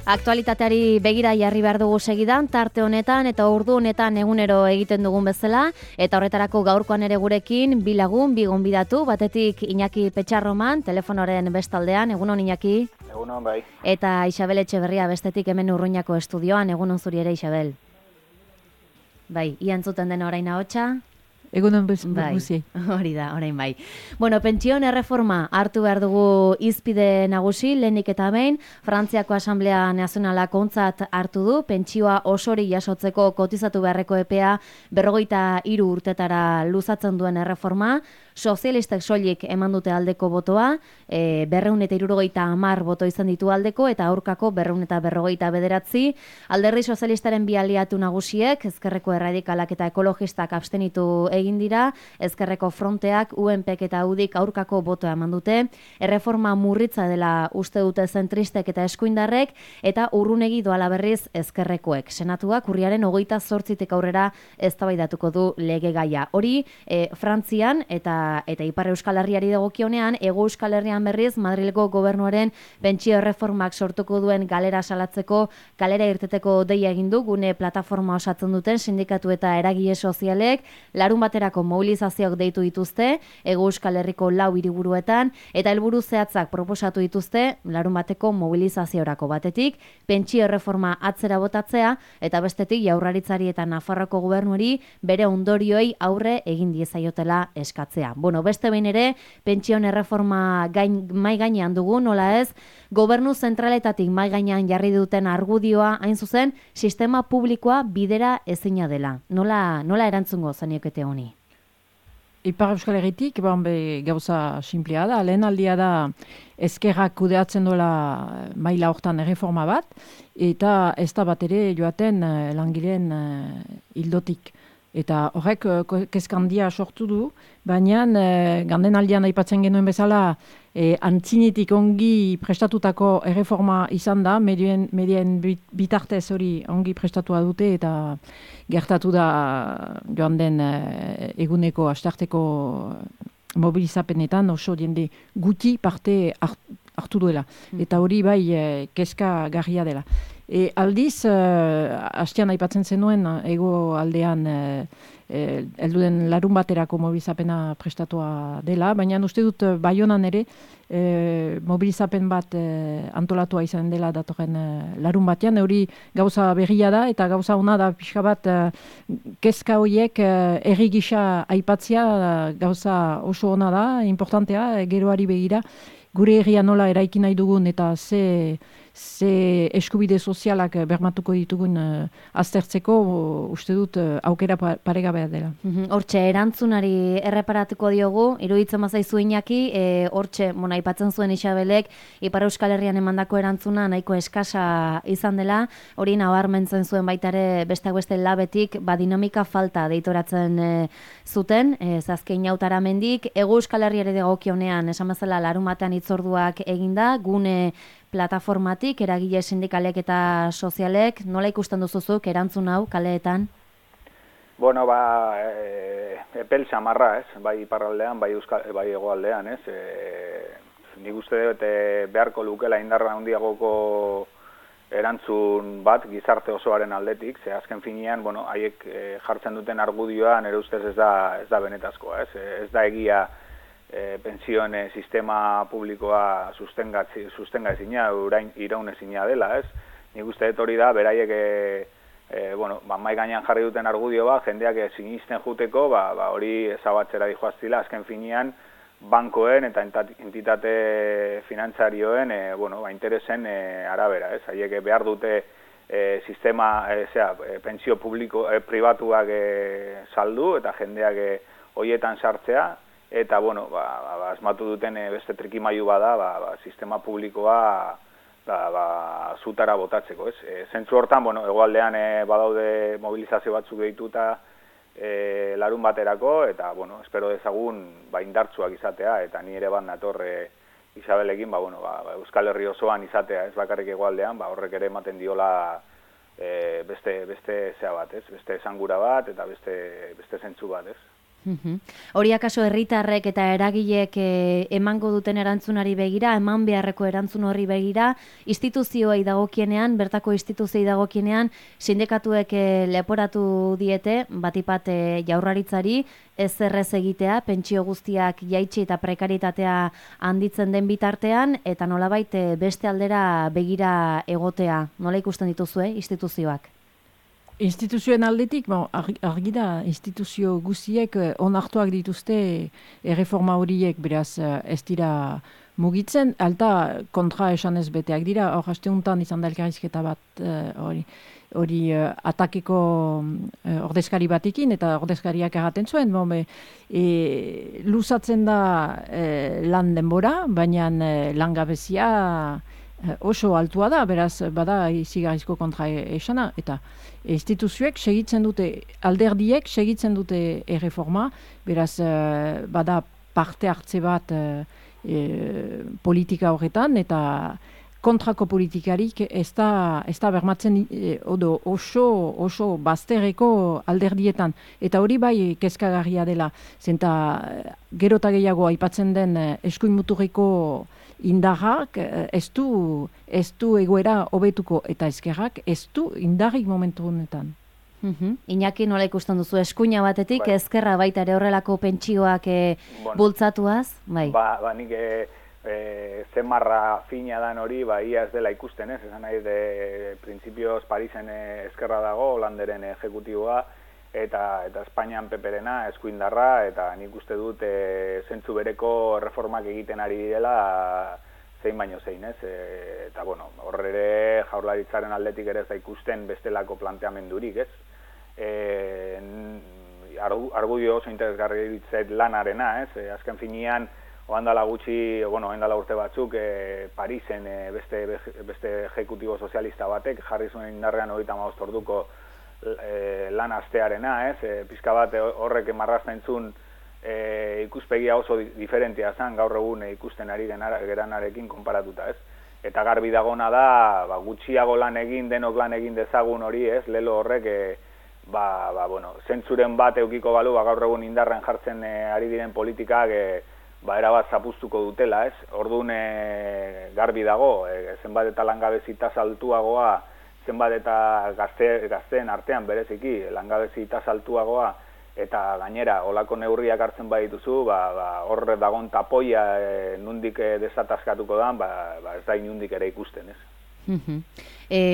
Aktualitateari begira jarri behar dugu segidan, tarte honetan eta ordu honetan egunero egiten dugun bezala, eta horretarako gaurkoan ere gurekin, bi lagun, bi gonbidatu, batetik Iñaki Petxarroman, telefonoren bestaldean, egunon Iñaki. Egunon, bai. Eta Isabel Etxeberria bestetik hemen Urruñako estudioan, egunon zuri ere Isabel. Bai, ia entzuten dena orain ahotsa. Egunon Bai, buzi. hori da, orain bai. Bueno, pentsioen erreforma hartu behar dugu izpide nagusi, lehenik eta behin, Frantziako Asamblea Nazionala kontzat hartu du, pentsioa osori jasotzeko kotizatu beharreko epea 53 urtetara luzatzen duen erreforma, sozialistek soilik eman dute aldeko botoa, 270 boto izan ditu aldeko eta aurkako 259. Alderdi sozialistaren bi aliatu nagusiek, ezkerreko erradikalak eta ekologistak abstenitu egin dira, ezkerreko fronteak, UNPek eta UDIk aurkako botoa eman dute, erreforma murritza dela uste dute zentristek eta eskuindarrek, eta urrunegi doala berriz ezkerrekoek. Senatuak urriaren 28tik aurrera eztabaidatuko du lege gaia. Hori, Frantzian eta Ipar Euskal Herriari dagokionean, Hego Euskal Herrian berriz Madrilgo gobernuaren pentsio erreformak sortuko duen galera salatzeko, kalera irteteko deia egin du, gune plataforma osatzen duten sindikatu eta eragile sozialek, larun baterako mobilizazioak deitu dituzte, Hego Euskal Herriko 4 hiriburuetan, eta helburu zehatzak proposatu dituzte, larun bateko mobilizaziorako batetik, pentsio erreforma atzera botatzea, eta bestetik Jaurlaritzari eta Nafarroako gobernuari bere ondorioei aurre egin diezaiotela eskatzea. Bueno, beste behin ere, pentsioen erreforma mai gainean dugu, nola ez, gobernu zentraletatik mai gainean jarri duten argudioa, hain zuzen, sistema publikoa bidera ezina dela. Nola erantzungo zaniokete honi? Ipar Euskal Herritik, gauza simplea da, lehen aldia da ezkerrak kudeatzen dola maila hortan erreforma bat, eta ez da bat ere joaten langileen hildotik. Eta horrek kezkandia sortu du, baina ganden aldian aipatzen genuen bezala antzinetik ongi prestatutako erreforma izan da, medien bitartez hori ongi prestatua dute eta gertatu da joan den eguneko astarteko mobilizapenetan oso jende guti parte hartu duela. Eta hori bai kezka garria dela. Aldiz, hastean aipatzen zenuen, ego aldean helduden larun baterako mobilizapena prestatua dela, baina uste dut Baionan ere mobilizapen bat antolatua izan dela datorren larun batean, hori gauza berria da eta gauza ona da pixka bat kezka horiek herri gisa aipatzea gauza oso ona da, importantea, geroari begira, gure herria nola eraiki nahi dugun eta ze eskubide sozialak bermatuko ditugun aztertzeko, uste dut aukera paregabea dela. Hortxe, erantzunari erreparatuko diogu, iruditzen bazaizu Iñaki, hortxe, aipatzen zuen Isabelek, Ipar Euskal Herrian emandako erantzuna nahiko eskasa izan dela, hori nabarmentzen zuen baitare besteak beste labetik, dinamika falta deitoratzen zuten, zazkein jautara mendik, Hego Euskal Herriari dagokionean, esan bezala larun batean hitzorduak eginda, gune plataformatik, eragile sindikalek eta sozialek, nola ikusten duzuzuk erantzun hau kaleetan? Bueno, epel samarra, ez? Bai iparraldean, bai hegoaldean, ez? Nik uste dut beharko lukela indarra handiagoko erantzun bat gizarte osoaren aldetik, ze azken finean, haiek jartzen duten argudioa nire ustez ez da benetazkoa, ez? Ez da egia pentsioen sistema publikoa sustenga ezina, iraun ezina dela, ez? Nik uste dut hori da, beraiek mai gainean jarri duten argudio bat, jendeak sinisten juteko, hori ezabatzera dihoaztila, azken finean, bankoen eta entitate finantzarioen interesen arabera, ez? Haiek behar dute pentsio publiko pribatuak saldu eta jendeak horietan sartzea, eta, asmatu duten beste trikimailu bada, sistema publikoa zutara botatzeko, ez? Zentzu hortan, hegoaldean badaude mobilizazio batzuk deituta larun baterako, eta, espero dezagun, indartsuak izatea, eta ni ere bat nator Isabelekin, Euskal Herri osoan izatea, ez bakarrik hegoaldean, horrek ere ematen diola beste zea bat, ez? Beste esangura bat, eta beste zentzu bat, ez? Hori akaso herritarrek eta eragileek emango duten erantzunari begira, eman beharreko erantzun horri begira, instituzioei dagokienean, bertako instituzioei dagokienean, sindikatuek leporatu diete, batipat jaurlaritzari, ez errez egitea, pentsio guztiak jaitsi eta prekaritatea handitzen den bitartean, eta nolabait beste aldera begira egotea. Nola ikusten dituzue instituzioak? Instituzioen aldetik, argi da, instituzio guztiek onartuak dituzte erreforma horiek, beraz ez dira mugitzen, alta kontra esanez beteak dira, hor hasteuntan izan da elkarrizketa bat hori atakeko ordezkari batekin, eta ordezkariak erraten zuen, luzatzen da lan denbora, baina langabezia oso altua da, beraz bada izigarrizko kontra esana, eta instituzioek segitzen dute, alderdiek segitzen dute erreforma, beraz bada parte hartze bat politika horretan, eta kontrako politikarik ez da bermatzen oso bazterreko alderdietan. Eta hori bai kezkagarria dela, zenta gerota gehiago aipatzen den eskuin muturreko indarrak ez du egoera hobetuko, eta ezkerrak ez du indarrik momentu honetan. Iñaki, nola ikusten duzu, eskuina batetik ezkerra baita ere horrelako pentsioak bultzatuaz? Bai. Nik zemarra fina dan hori, ia ez dela ikusten, ez? Esan nahi de printzipioz Parisen ezkerra dago, Holanderen ejekutiboa, eta Espainian peperena, eskuindarra, eta nik uste dut zentzu bereko reformak egiten ari direla zein baino zein, ez? Eta, horre jaurlaritzaren aldetik ere ez da ikusten bestelako planteamendurik, ez? Argudio oso interesgarri ditzait lanarena, ez? Azken finean, oandala gutxi, oandala urte batzuk, Parisen beste ejekutibo sozialista batek jarri zuen indarrean 35 orduko lan astearena, ez? Pizka bat horrek marrazten zuen ikuspegia oso diferentia zen, gaur egun ikusten ari geranarekin konparatuta, ez? Eta garbi dagona da, gutxiago lan egin, denok lan egin dezagun hori, ez? Lelo horrek, zentzuren bat eukiko balu, gaur egun indarren jartzen ari diren politikak, erabat zapuztuko dutela, ez? Orduan garbi dago, zenbat eta langabezi tasa altuagoa, zenbat eta gazteen artean bereziki, langabezi tasa altuagoa, eta gainera, olako neurriak hartzen badituzu, horre dagon tapoia nundik desataskatuko da, ez da inundik ere ikusten, ez?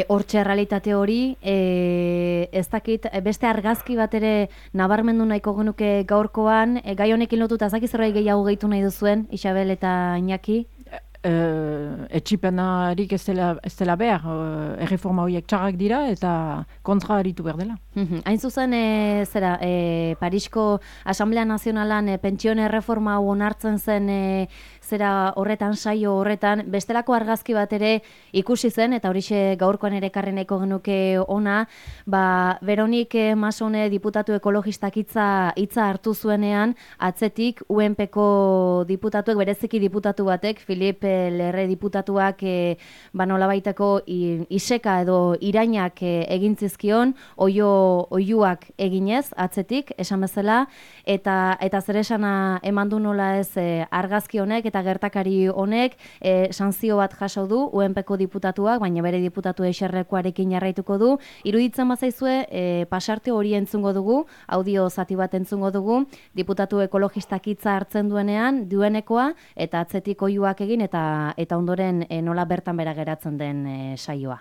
Hortxe errealitate hori, ez dakit, beste argazki bat ere nabarmendu nahiko genuke gaurkoan, gai honekin lotuta, ez dakit zerbait gehiago gehitu nahi duzuen, Isabel eta Iñaki? Etxipenarik ez dela behar, erreforma horiek txarrak dira eta kontra aritu behar dela. Hain zuzen, Parisko Asamblea Nazionalan pentsioen erreforma hau onartzen zen horretan, saio horretan, bestelako argazki bat ere ikusi zen, eta horixe gaurkoan ere karreneko genuke ona, Veronik Masone diputatu ekologistak hitza hartu zuenean, atzetik UNPko diputatuek, bereziki diputatu batek, Filip Lerre diputatuak nolabaiteko iseka edo irainak egin zizkion, oiuak eginez, atzetik, esan bezala, eta zer esana eman du nola ez argazki honek eta gertakari honek sanzio bat jaso du UNPko diputatuak, baina bere diputatu eserlekuarekin jarraituko du. Iruditzen bazaizue, pasarte hori entzungo dugu, audio zati bat entzungo dugu, diputatu ekologistak hitza hartzen duenekoa, eta atzetik oiuak egin, eta ondoren nola bertan bera geratzen den saioa.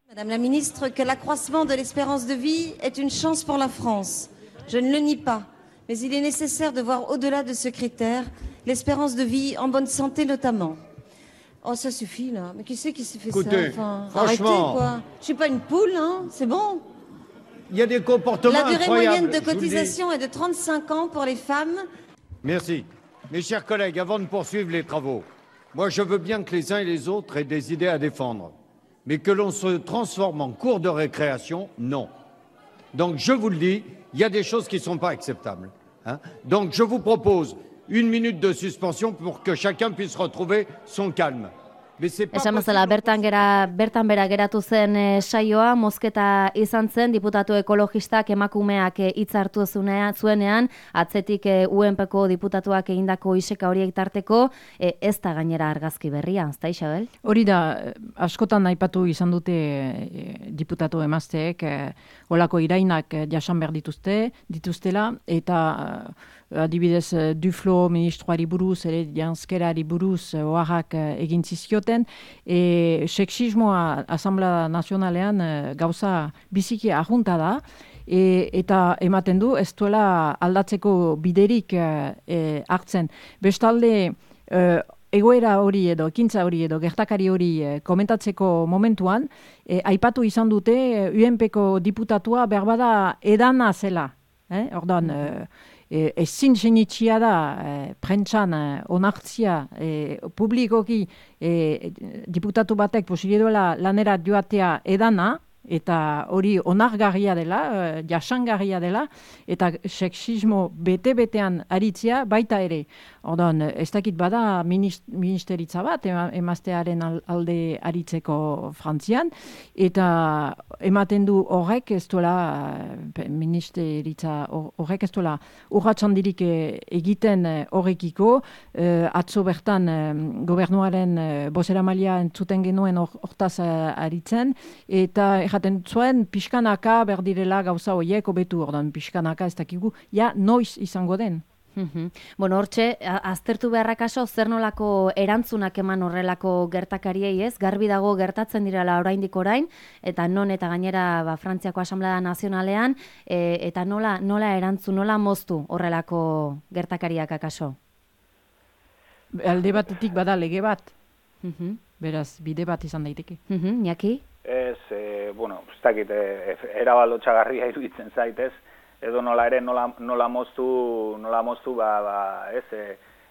Madame la ministre, que l'accroissement de l'espérance de vie est une chance pour la France. Je ne le nie pas, mais il est nécessaire de voir au-delà de ce critère l'espérance de vie en bonne santé notamment. Oh, ça suffit là. Mais qui c'est qui s'est fait ça? Enfin, arrêtez quoi. Je suis pas une poule, hein. C'est bon. Il y a des comportements incroyables. La durée moyenne de cotisation est de 35 ans pour les femmes. Merci. Mes chers collègues, avant de poursuivre les travaux, moi je veux bien que les uns et les autres aient des idées à défendre. Mais que l'on se transforme en cours de récréation, non. Donc je vous le dis, il y a des choses qui ne sont pas acceptables. Donc je vous propose 1 minute de suspension pour que chacun puisse retrouver son calme. Esan bezala, bertan bera geratu zen saioa, mozketa izan zen, diputatu ekologistak emakumeak hitz hartu zuenean, atzetik UNPko diputatuak egindako iseka horiek tarteko, ez da gainera argazki berria, ez da, Isabel? Hori da, askotan aipatu izan dute diputatu emazteek, olako irainak jasan behar dituztela, eta adibidez Duflo ministroari buruz, ere janskerari buruz oharrak egin zizkioten, seksismoa Asamblea Nazionalean gauza biziki arrunta da, eta ematen du ez duela aldatzeko biderik hartzen. Bestalde, egoera hori edo, ekintza hori edo, gertakari hori komentatzeko momentuan, aipatu izan dute UNPko diputatua berbada edana zela. Ordan, ezin senitxia da prentsan onartzia publikoki diputatu batek posible duela lanera joatea edana, eta hori onargarria dela, jasangarria dela, eta seksismo bete-betean aritzea baita ere. Ordan, ez dakit bada ministeritza bat emaztearen alde aritzeko Frantzian, eta ematen du horrek ez duela, ministeritza horrek ez duela urratxandirik egiten horrekiko, atzo bertan gobernuaren bozeramailia entzuten genuen hortaz aritzen, eta jaten zuen pixkanaka berdirela gauza horiek hobetu, ordan pixkanaka ez dakigu, ja noiz izango den. Bueno, hortxe, aztertu beharrakaso, zer nolako erantzunak eman horrelako gertakariei ez, garbi dago gertatzen direla oraindik orain, eta non eta gainera Frantziako Asamblea Nazionalean, eta nola erantzun, nola moztu horrelako gertakariak akaso? Alde batetik bada lege bat, beraz, bide bat izan daiteke. Iñaki? Ez, bueno, ez dakit, erabat lotxagarria iruditzen zaitez, edo nola ere nola moztu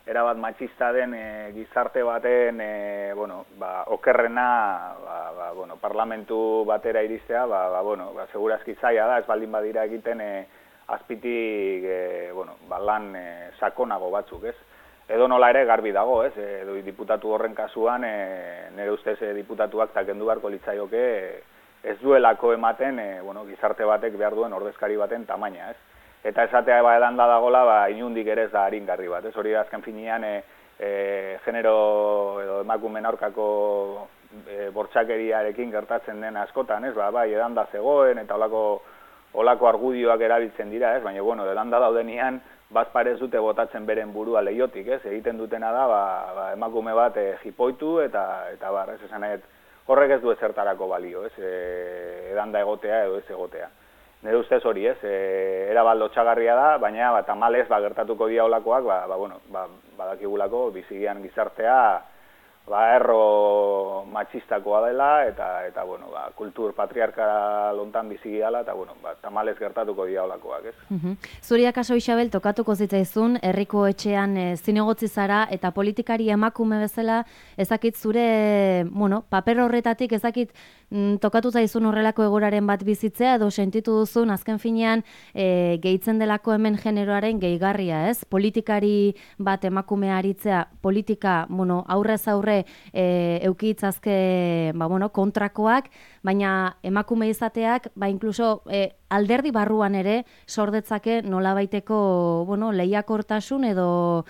erabat matxista den gizarte baten okerrena parlamentu batera iristea, segurazki zaila da, ez baldin badira egiten azpitik lan sakonago batzuk, ez? Edo nola ere garbi dago, ez? Edo diputatu horren kasuan, nire ustez diputatuak takendu beharko litzaioke ez duelako ematen, gizarte batek behar duen ordezkari baten tamaina, ez? Eta esatea edan da dagola, inundik ere ez da aringarri bat, ez? Hori azken finean, genero edo emakumeen aurkako bortxakeriarekin gertatzen den askotan, ez? Edan da zegoen, eta olako argudioak erabiltzen dira, ez? Baina, edan da daudenean, bazparez dute botatzen beren burua leiotik, ez? Egiten dutena da, emakume bat jipoitu, eta ez esan horrek ez du ezertarako balio, ez? Edan da egotea edo ez egotea. Nire ustez hori, ez? Erabat lotxagarria da, baina tamalez gertatuko dia olakoak, badakigulako bizigian gizartea erro matxistakoa dela, eta kultur patriarkal hontan bizigiala, eta tamalez gertatuko dia olakoak, ez? Zuriak aso, Isabel, tokatuko zitzaizun, herriko etxean zinegotzi zara, eta politikari emakume bezala, ezakit zure, paper horretatik, ezakit tokatu zaizun horrelako egoraren bat bizitzea, edo sentitu duzun, azken finean, gehitzen delako hemen generoaren gehigarria, ez? Politikari bat emakumea aritzea, politika, aurrez aurre eukitzazke kontrakoak, baina emakume izateak, inkluso alderdi barruan ere sordetzake nolabaiteko lehiakortasun edo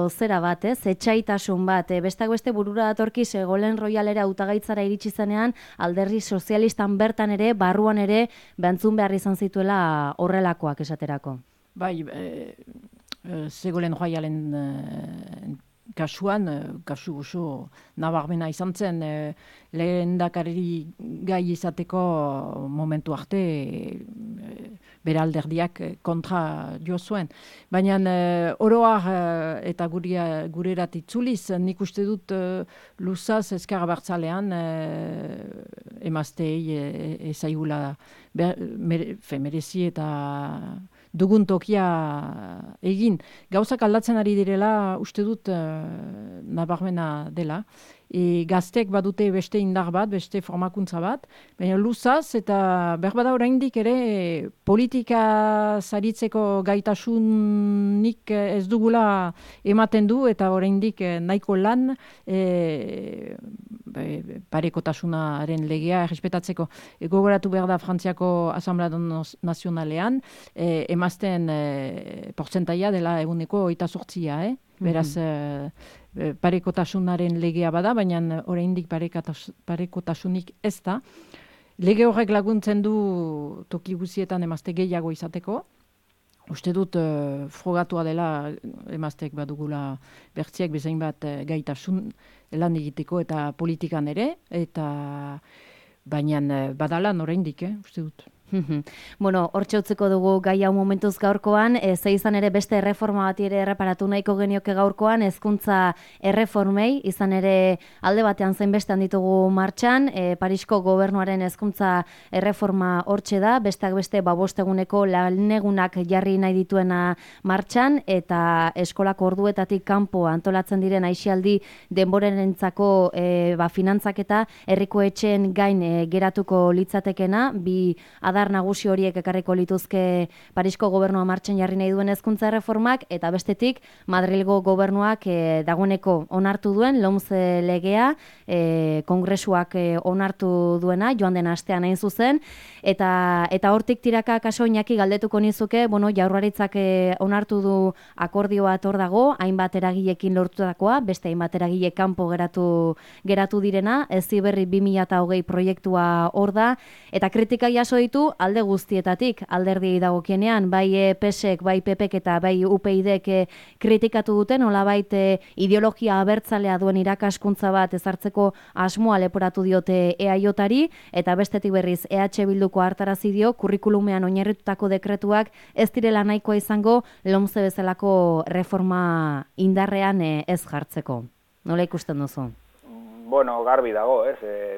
zera bat, etxaitasun bat. Besteak beste burura datorki Segolen Royalera hautagaitzara iritsi zenean, alderdi sozialistan bertan ere, barruan ere, behantzun behar izan zituela horrelakoak esaterako. Bai, Segolen Royalen kasuan, kasu oso nabarmena izan zen, lehendakari gai izateko momentu arte bere alderdiak kontra jo zuen. Baina oroak eta gurerat itzuliz, nik uste dut luzaz ezker abertzalean emaztei ezaigula merezi eta dugun tokia egin. Gauzak aldatzen ari direla uste dut nabarmena dela, gaztek badute beste indar bat, beste formakuntza bat, baina luzaz eta berbada oraindik ere politika zaritzeko gaitasunik ez dugula ematen du eta oraindik nahiko lan parekotasunaren legea errespetatzeko. Gogoratu behar da Frantziako Asamblea Nazionalean emazten portzentaia dela eguneko 28, Beraz, parekotasunaren legea bada, baina oraindik parekotasunik ez da. Lege horrek laguntzen du toki guzietan emazte gehiago izateko. Uste dut frogatua dela emazteek badugula bertziak bezain bat gaitasun lan egiteko eta politikan ere, eta baina badalan oraindik, uste dut. Bueno, hortxe utziko dugu gai hau momentuz gaurkoan, ze izan ere beste erreforma bati ere erreparatu nahiko genioke gaurkoan, hezkuntza erreformei, izan ere alde batean zein ditugu martxan, Parisko gobernuaren hezkuntza erreforma hortxe da, besteak beste 5 eguneko lanegunak jarri nahi dituena martxan, eta eskolako orduetatik kanpo antolatzen diren aisialdi denborenentzako finantzaketa herriko etxeen gain geratuko litzatekena, bi adar nagusi horiek ekarriko lituzke Parisko gobernua martxan jarri nahi duen hezkuntza erreformak, eta bestetik Madrilgo gobernuak dagoeneko onartu duen LOMCE legea, kongresuak onartu duena, joan den astean hain zuzen, eta hortik tiraka kaso Iñaki galdetuko nizuke, Jaurlaritzak onartu du akordio bat hor dago, hainbat eragileekin lortutakoa, beste hainbat eragile kanpo geratu direna, Heziberri 2020 proiektua hor da, eta kritika jaso ditu alde guztietatik, alderdiei dagokienean, bai PSek, bai PPek eta bai UPyDek kritikatu duten, nolabait ideologia abertzalea duen irakaskuntza bat ezartzeko asmoa leporatu diote EAJari, eta bestetik berriz EH Bilduko hartarazi dio kurrikulumean oinarritutako dekretuak ez direla nahikoa izango LOMCE bezalako reforma indarrean ez jartzeko. Nola ikusten duzu? Bueno, garbi dago,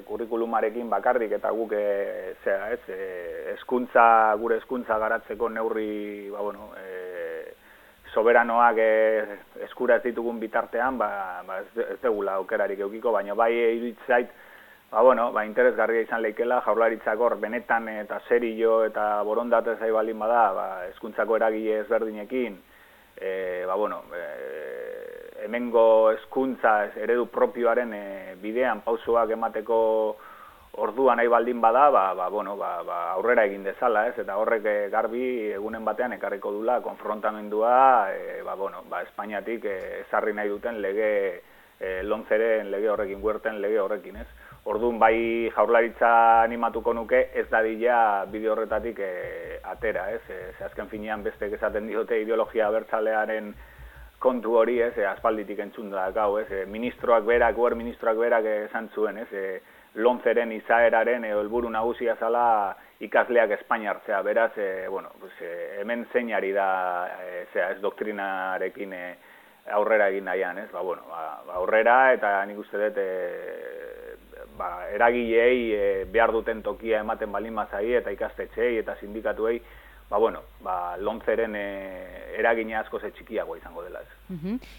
kurrikulumarekin bakarrik eta guk gure hezkuntza garatzeko neurri, soberanoak eskura ez ditugun bitartean, ez degula aukerarik eukiko, baina bai iruditzait, interesgarria izan leikela, Jaurlaritzak hor benetan eta serio eta borondatez ari baldin bada, hezkuntzako eragile ezberdinekin, hemengo hezkuntza eredu propioaren bidean pausoak emateko orduan nahi baldin bada, aurrera egin dezala, eta horrek garbi egunen batean ekarriko dula konfrontamendua, Espainiatik ezarri nahi duten lege LOMCEren lege horrekin, Werten lege horrekin, ez? Orduan bai Jaurlaritza animatuko nuke ez dadila bide horretatik atera, ez? Azken finean bestek esaten diote ideologia abertzalearen kontu hori, aspalditik entzun da gau, ministroak berak esan zuen, LOMCEren izaeraren helburu nagusia zala ikasleak Espainiartzea, beraz, hemen zeinari da, ez doktrinarekin aurrera egin nahian, aurrera, eta nik uste dut, eragileei behar duten tokia ematen baldin mazai, eta ikastetxeei, eta sindikatuei, LOMCEren eragina asko txikiagoa izango dela.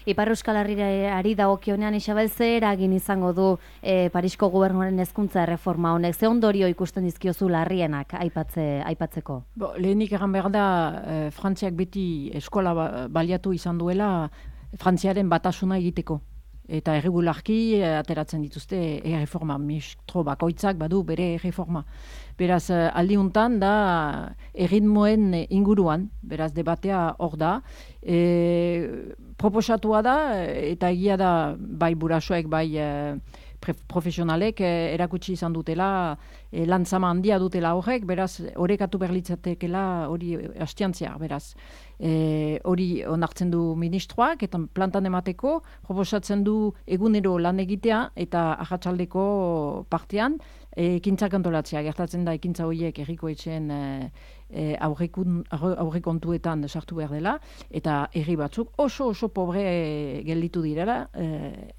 Ipar Euskal Herriari dagokionean, Isabel, ze eragin izango du Parisko gobernuaren hezkuntza erreforma honek? Ze ondorio ikusten dizkiozu larrienak aipatzeko? Lehenik egan behar da, Frantziak beti eskola baliatu izan duela Frantziaren batasuna egiteko. Eta erregularki ateratzen dituzte erreforma, ministro bakoitzak badu bere erreforma. Beraz, aldiuntan da erritmoen inguruan, beraz, debatea hor da. Proposatua da, eta egia da, bai burasoek, bai profesionalek erakutsi izan dutela, lantzama handia dutela horrek, beraz, horrekatu berlitzatekela hori hastiantzia, beraz. Hori onartzen du ministroak, eta plantan emateko, proposatzen du egunero lan egitea, eta ahatsaldeko partean, ekintzak antolatzea, gertatzen da ekintza horiek herriko etxeen aurrekontuetan sartu behar dela, eta herri batzuk oso pobre gelditu direla,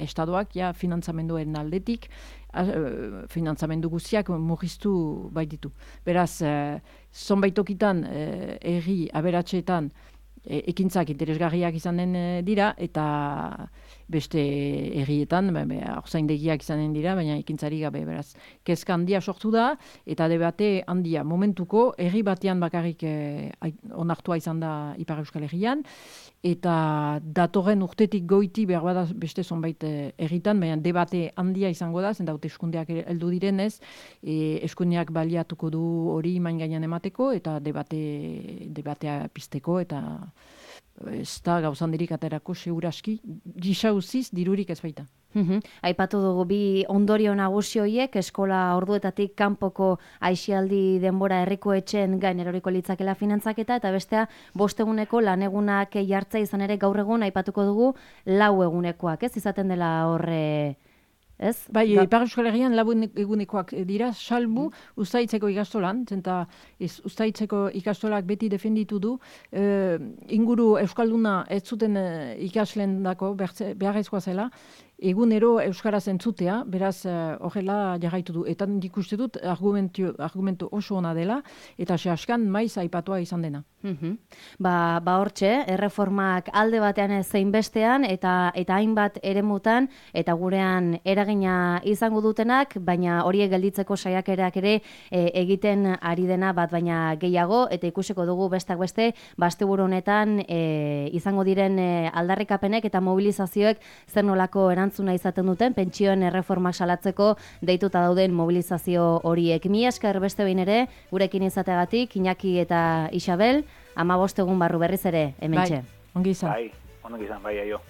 estadoak finantzamenduen aldetik, finantzamendu guztiak murriztu baititu. Beraz, zonbait tokitan herri aberatseetan ekintzak interesgarriak izanen dira, eta beste herrietan, orzaindegiak izanen dira, baina ekintzari gabe, beraz. Kezka handia sortu da, eta debate handia. Momentuko, herri batean bakarrik onartua izan da Ipar Euskal Herrian, eta datorren urtetik goiti behar bada beste zonbait herritan, baina debate handia izango da, zenta eskundeak heldu direnez, eskundeak baliatuko du hori main gainean emateko, eta debatea pizteko, eta ez da gauzandirik aterako seguraski, gisa uziz dirurik ez baita. Aipatu dugu bi ondorio nagusi horiek, eskola orduetatik kanpoko aisialdi denbora herriko etxen gain eroriko litzakela finantzaketa, eta bestea 5 eguneko lanegunak jartza izan ere gaur egun aipatuko dugu 4 egunekoak, ez izaten dela horre... Ez? Bai, Ipar Euskal Herrian 4 egunekoak dira, salbu Uztaitzeko ikastolan, zenta Uztaitzeko ikastolak beti defenditu du, inguru Euskalduna ez zuten ikasleen dako beharrezkoa zela, egunero euskaraz entzutea, beraz horrela jarraitu du. Eta nik uste dut argumentu oso ona dela, eta sehaskan maiz aipatua izan dena. Ba hortxe, erreformak alde batean zein bestean, eta hainbat eremutan, eta gurean eragina izango dutenak, baina horiek gelditzeko saiakerak ere egiten ari dena bat baina gehiago, eta ikusiko dugu bestak beste, asteburu honetan izango diren aldarrikapenek eta mobilizazioek zer nolako erantzuna izaten duten, pentsioen erreformak salatzeko deituta dauden mobilizazio horiek. Mila esker beste behin ere, gurekin izateagatik, Iñaki eta Isabel, 15 egun barru berriz ere, hementxe. Bai, ongi izan. Bai, ongi izan, bai, aio.